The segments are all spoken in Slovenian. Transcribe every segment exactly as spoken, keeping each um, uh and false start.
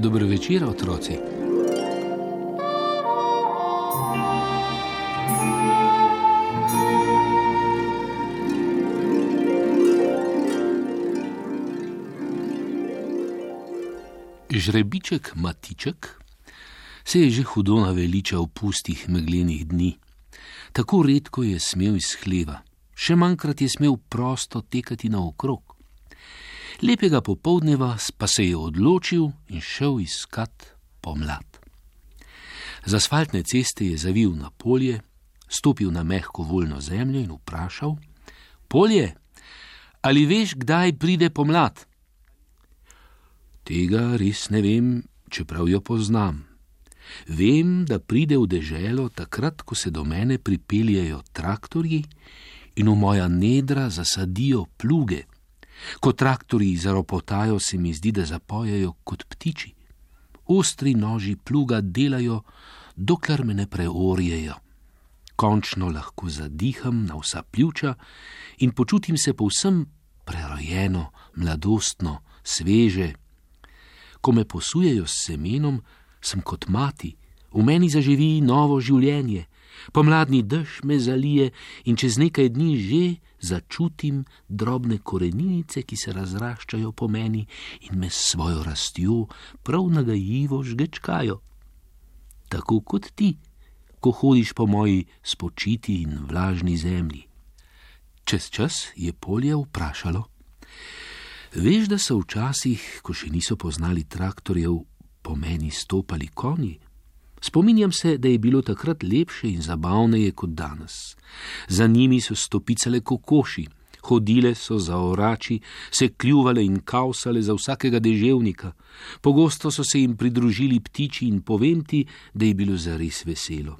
Dobro večer, otroci. Žrebiček Matiček se je že hudo naveličal pustih meglenih dni. Tako redko je smel iz hleva, še manjkrat je smel prosto tekati naokrog. Lepega popoldneva pa se je odločil in šel iskat pomlad. Z asfaltne ceste je zavil na polje, stopil na mehko voljno zemljo in vprašal: Polje, ali veš, kdaj pride pomlad? Tega res ne vem, čeprav jo poznam. Vem, da pride v deželo takrat, ko se do mene pripeljejo traktorji in v moja nedra zasadijo pluge. Ko traktorji zaropotajo, se mi zdi, da zapojejo kot ptiči. Ostri noži pluga delajo, dokler me ne preorjejo. Končno lahko zadiham na vsa pljuča in počutim se povsem prerojeno, mladostno, sveže. Ko me posujejo s semenom, sem kot mati, v meni zaživi novo življenje. Pomladni dež me zalije in čez nekaj dni že začutim drobne koreninice, ki se razraščajo po meni in me s svojo rastjo prav nagajivo žgečkajo. Tako kot ti, ko hodiš po moji spočiti in vlažni zemlji. Čez čas je polje vprašalo: Veš, da so včasih, ko še niso poznali traktorjev, po meni stopali konji? Spominjam se, da je bilo takrat lepše in zabavneje kot danes. Za njimi so stopicale kokoši, hodile so za orači, se kljuvale in kavsale za vsakega deževnika. Pogosto so se jim pridružili ptiči in povem ti, da je bilo zares veselo.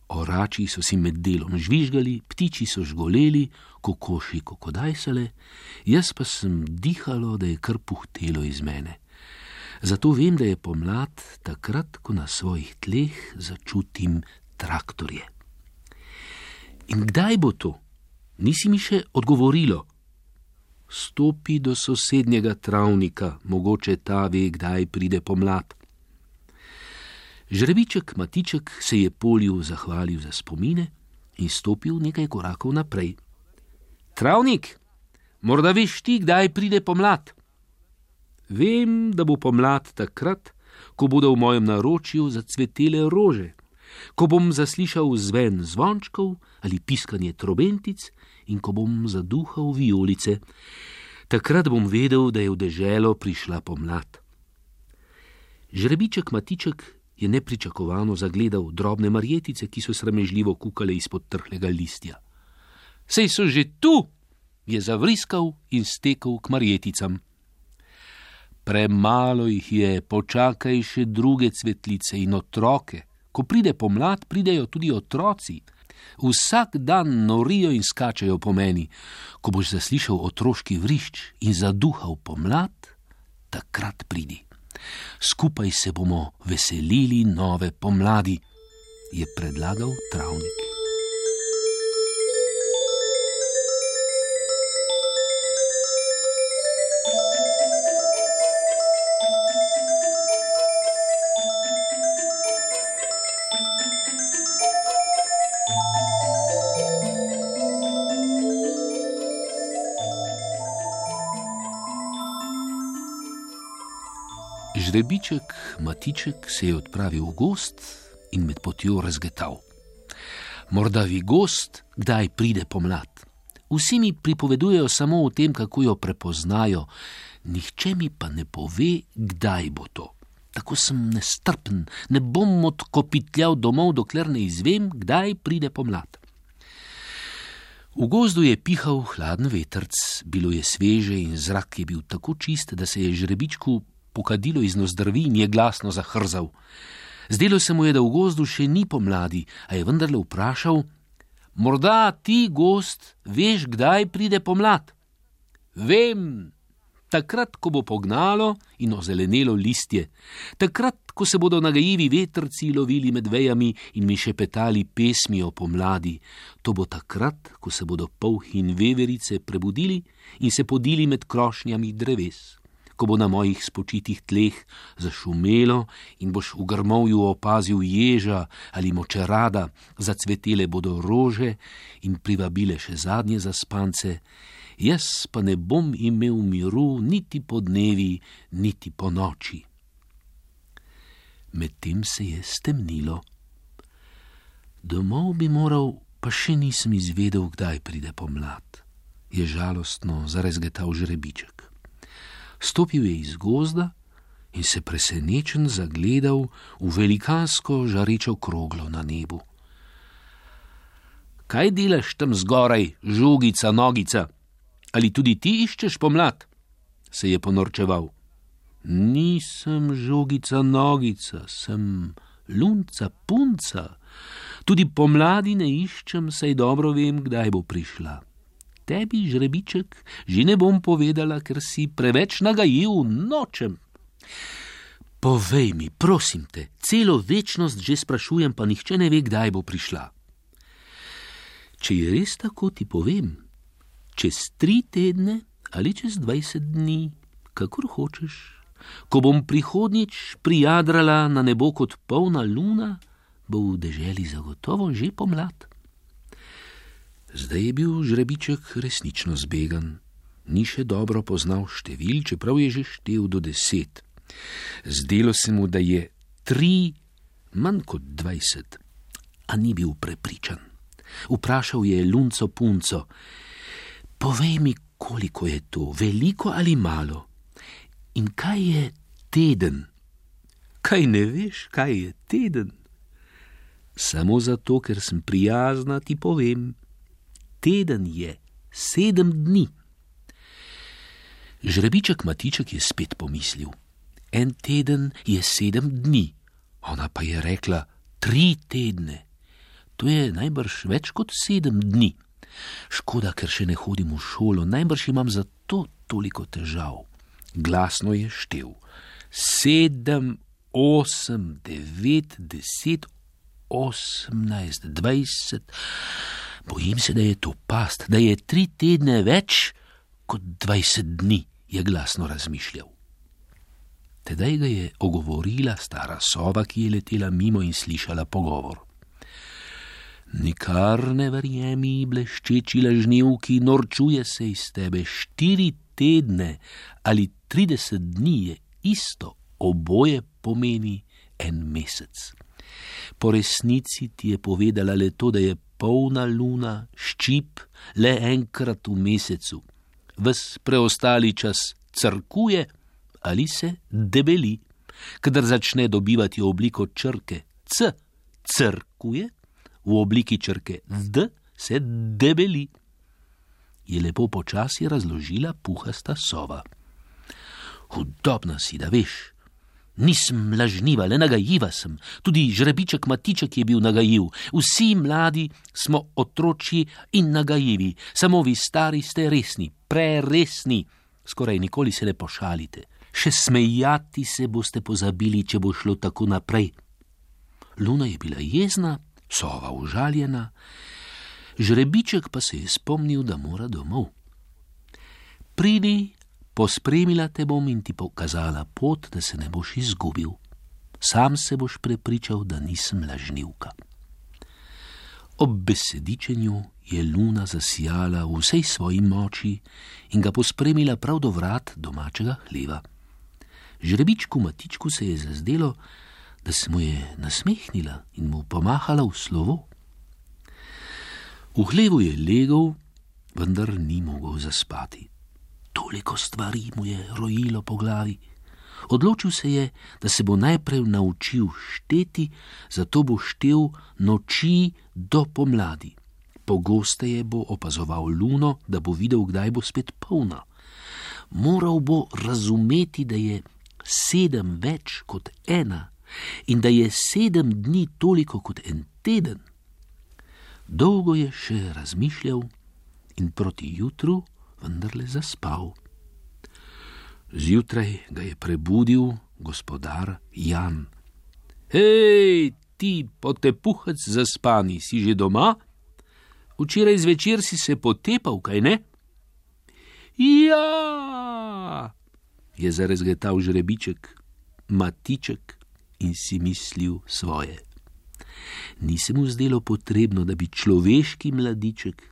Orači so si med delom žvižgali, ptiči so žgoleli, kokoši kokodajsale, jaz pa sem dihalo, da je kar puhtelo iz mene. Zato vem, da je pomlad takrat, ko na svojih tleh začutim traktorje. In kdaj bo to? Nisi mi še odgovorilo. Stopi do sosednjega travnika, mogoče ta ve, kdaj pride pomlad. Žrebiček Matiček se je polju zahvalil za spomine in stopil nekaj korakov naprej. Travnik, morda veš ti, kdaj pride pomlad? Vem, da bo pomlad takrat, ko bodo v mojem naročju zacvetele rože, ko bom zaslišal zven zvončkov ali piskanje trobentic in ko bom zaduhal vijolice. Takrat bom vedel, da je v deželo prišla pomlad. Žrebiček Matiček je nepričakovano zagledal drobne marjetice, ki so sramežljivo kukale izpod trhlega listja. Sej so že tu, je zavriskal in stekel k marjeticam. Premalo jih je, počakaj še druge cvetlice in otroke. Ko pride pomlad, pridejo tudi otroci. Vsak dan norijo in skačajo po meni. Ko boš zaslišal otroški vrišč in zaduhal pomlad, takrat pridi. Skupaj se bomo veselili nove pomladi, je predlagal travnik. Žrebiček Matiček se je odpravil v gozd in med potjo razgetal. Morda vi gozd, kdaj pride pomlad? Vsi mi pripovedujejo samo o tem, kako jo prepoznajo, nihče mi pa ne pove, kdaj bo to. Tako sem nestrpen, ne bom odkopitljal domov, dokler ne izvem, kdaj pride pomlad. V gozdu je pihal hladen vetrc, bilo je sveže in zrak je bil tako čist, da se je žrebičku pokadilo iz nozdrvi in je glasno zahrzal. Zdelo se mu je, da v gozdu še ni pomladi, a je vendarle vprašal: Morda ti, gozd, veš, kdaj pride pomlad? Vem, takrat, ko bo pognalo in ozelenelo listje, takrat, ko se bodo nagajivi vetrci lovili med vejami in mi šepetali pesmi o pomladi. To bo takrat, ko se bodo polhi in veverice prebudili in se podili med krošnjami dreves. ko bo na mojih spočitih tleh zašumelo in boš v grmovju opazil ježa ali močerada, zacvetele bodo rože in privabile še zadnje zaspance, jaz pa ne bom imel miru niti po dnevi, niti po noči. Medtem se je stemnilo. Domov bi moral, pa še nisem izvedel, kdaj pride pomlad, je žalostno zarezgetal žrebiček. Stopil je iz gozda in se presenečen zagledal v velikansko žarečo kroglo na nebu. Kaj delaš tam zgoraj, žogica, nogica? Ali tudi ti iščeš pomlad? Se je ponorčeval. Nisem žogica, nogica, sem lunca, punca. Tudi pomladi ne iščem, saj dobro vem, kdaj bo prišla. Tebi, žrebiček, že ne bom povedala, ker si preveč nagajiv, nočem. Povej mi, prosim te, celo večnost že sprašujem, pa nihče ne ve, kdaj bo prišla. Če je res tako, ti povem, čez tri tedne ali čez dvajset dni, kakor hočeš. Ko bom prihodnjič prijadrala na nebo kot polna luna, bo v deželi zagotovo že pomlad. Zdaj je bil žrebiček resnično zbegan. Ni še dobro poznal števil, čeprav je že štel do deset. Zdelo se mu, da je tri manj kot dvajset, a ni bil prepričan. Vprašal je lunco punco, povej mi, koliko je to, veliko ali malo? In kaj je teden? Kaj ne veš, kaj je teden? Samo zato, ker sem prijazna, ti povem. Teden je sedem dni. Žrebiček Matiček je spet pomislil. En teden je sedem dni. Ona pa je rekla tri tedne. To je najbrž več kot sedem dni. Škoda, ker še ne hodim v šolo, najbrž imam zato toliko težav. Glasno je štel. Sedem, osem, devet, deset, osemnajst, dvajset. Bojim se, da je to past, da je tri tedne več kot dvajset dni, je glasno razmišljal. Tedaj ga je ogovorila stara sova, ki je letela mimo in slišala pogovor. Nikar ne verjemi, bleščeči lažnivki, norčuje se iz tebe. Štiri tedne ali trideset dni je isto, oboje pomeni en mesec. Po resnici ti je povedala le to, da je polna luna, ščip, le enkrat v mesecu. Ves preostali čas crkuje ali se debeli. Kadar začne dobivati obliko črke C, crkuje, v obliki črke D se debeli. Je lepo počasi razložila puhasta sova. Hudobna si, da veš. Nisem lažniva, le nagajiva sem. Tudi žrebiček Matiček je bil nagajiv. Vsi mladi smo otročji in nagajivi. Samo vi stari ste resni, preresni. Skoraj nikoli se ne pošalite. Še smejati se boste pozabili, če bo šlo tako naprej. Luna je bila jezna, sova užaljena, žrebiček pa se je spomnil, da mora domov. Pridi, pospremila te bom in ti pokazala pot, da se ne boš izgubil. Sam se boš prepričal, da nisem lažnivka. Ob besedičenju je luna zasijala v vsej svoji moči in ga pospremila prav do vrat domačega hleva. Žrebičku Matičku se je zazdelo, da se mu je nasmehnila in mu pomahala v slovo. V hlevu je legel, vendar ni mogel zaspati. Toliko stvari mu je rojilo po glavi. Odločil se je, da se bo najprej naučil šteti, zato bo štel noči do pomladi. Pogosteje bo opazoval luno, da bo videl, kdaj bo spet polna. Moral bo razumeti, da je sedem več kot ena in da je sedem dni toliko kot en teden. Dolgo je še razmišljal in proti jutru vendarle zaspal. Zjutraj ga je prebudil gospodar Jan. Hej, ti potepuhec zaspani, si že doma? Včeraj zvečer si se potepal, kaj ne? Ja, je zarezgetal žrebiček, Matiček, in si mislil svoje. Ni se mu zdelo potrebno, da bi človeški mladiček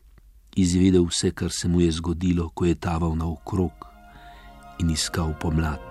izvedel vse, kar se mu je zgodilo, ko je taval naokrog in iskal pomlad.